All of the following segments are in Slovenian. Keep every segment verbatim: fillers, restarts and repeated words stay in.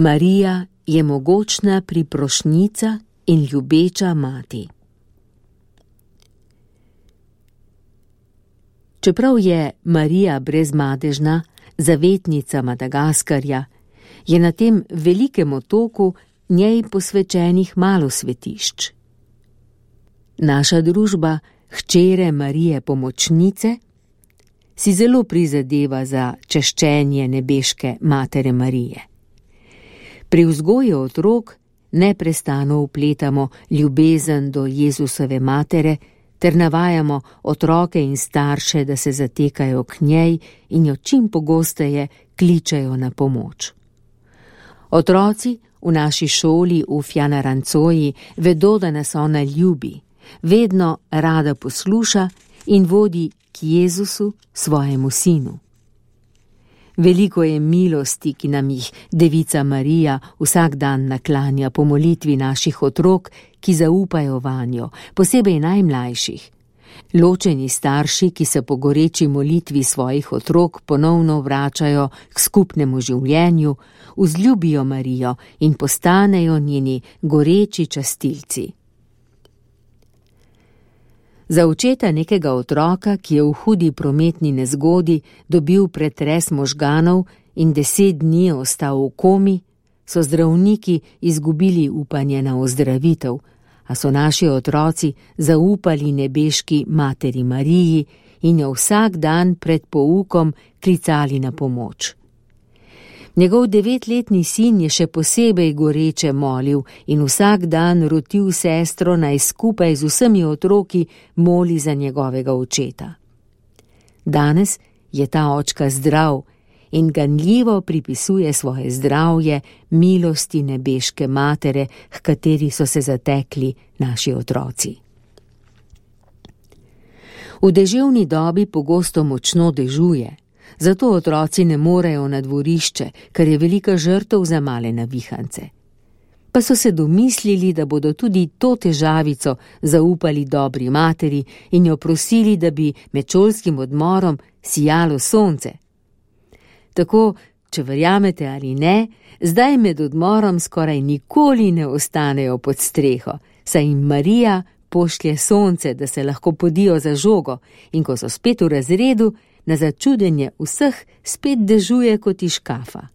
Marija je mogočna priprošnica in ljubeča mati. Čeprav je Marija brezmadežna, zavetnica Madagaskarja, je na tem velikem otoku njej posvečenih malo svetišč. Naša družba, hčere Marije Pomočnice, si zelo prizadeva za češčenje nebeške Matere Marije. Pri vzgoji otrok neprestano vpletamo ljubezen do Jezusove matere ter navajamo otroke in starše, da se zatekajo k njej in jo čim pogosteje kličejo na pomoč. Otroci v naši šoli v Fjanarancoji vedo, da nas ona ljubi, vedno rada posluša in vodi k Jezusu, svojemu sinu. Veliko je milosti, ki nam jih Devica Marija vsak dan naklanja po molitvi naših otrok, ki zaupajo vanjo, posebej najmlajših. Ločeni starši, ki se po goreči molitvi svojih otrok ponovno vračajo k skupnemu življenju, vzljubijo Marijo in postanejo njeni goreči častilci. Za očeta nekega otroka, ki je v hudi prometni nezgodi dobil pretres možganov in deset dni ostal v komi, so zdravniki izgubili upanje na ozdravitev, a so naši otroci zaupali nebeški Materi Mariji in jo vsak dan pred poukom klicali na pomoč. Njegov devetletni sin je še posebej goreče molil in vsak dan rotil sestro, naj skupaj z vsemi otroki moli za njegovega očeta. Danes je ta očka zdrav in ganljivo pripisuje svoje zdravje milosti nebeške matere, h kateri so se zatekli naši otroci. V deževni dobi pogosto močno dežuje, zato otroci ne morejo na dvorišče, ker je velika žrtev za male navihance. Pa so se domislili, da bodo tudi to težavico zaupali dobri materi in jo prosili, da bi med šolskim odmorom sijalo sonce. Tako, če verjamete ali ne, zdaj med odmorom skoraj nikoli ne ostanejo pod streho, saj jim Marija pošlje sonce, da se lahko podijo za žogo, in ko so spet v razredu, na začudenje vseh spet dežuje kot iz škafa.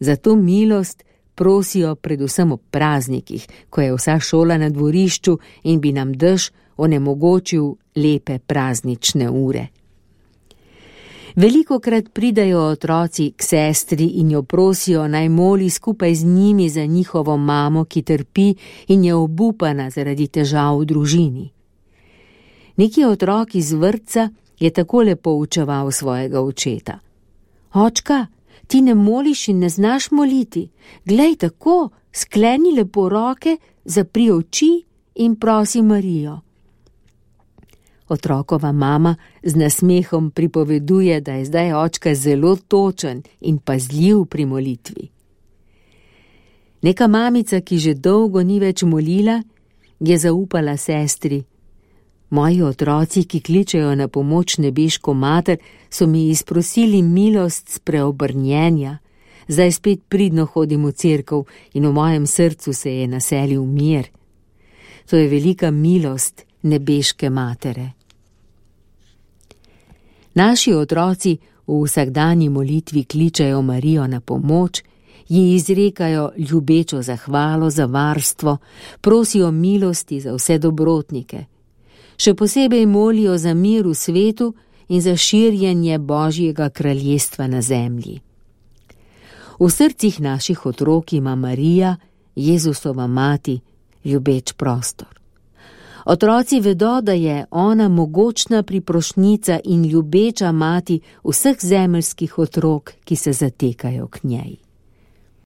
Zato milost prosijo predvsem ob praznikih, ko je vsa šola na dvorišču in bi nam dež onemogočil lepe praznične ure. Velikokrat pridajo otroci k sestri in jo prosijo, naj moli skupaj z njimi za njihovo mamo, ki trpi in je obupana zaradi težav v družini. Neki otrok iz vrtca je takole poučeval svojega očeta. Očka, ti ne moliš in ne znaš moliti. Glej tako, skleni lepo roke, zapri oči in prosi Marijo. Otrokova mama z nasmehom pripoveduje, da je zdaj očka zelo točen in pazljiv pri molitvi. Neka mamica, ki že dolgo ni več molila, je zaupala sestri. Moji otroci, ki kličejo na pomoč nebeško mater, so mi izprosili milost spreobrnjenja. Zdaj spet pridno hodim v cerkev in v mojem srcu se je naselil mir. To je velika milost nebeške matere. Naši otroci v vsakdanji molitvi kličejo Marijo na pomoč, ji izrekajo ljubečo zahvalo za varstvo, prosijo milosti za vse dobrotnike. Še posebej molijo za mir v svetu in za širjenje Božjega kraljestva na zemlji. V srcih naših otrok ima Marija, Jezusova mati, ljubeč prostor. Otroci vedo, da je ona mogočna priprošnica in ljubeča mati vseh zemeljskih otrok, ki se zatekajo k njej.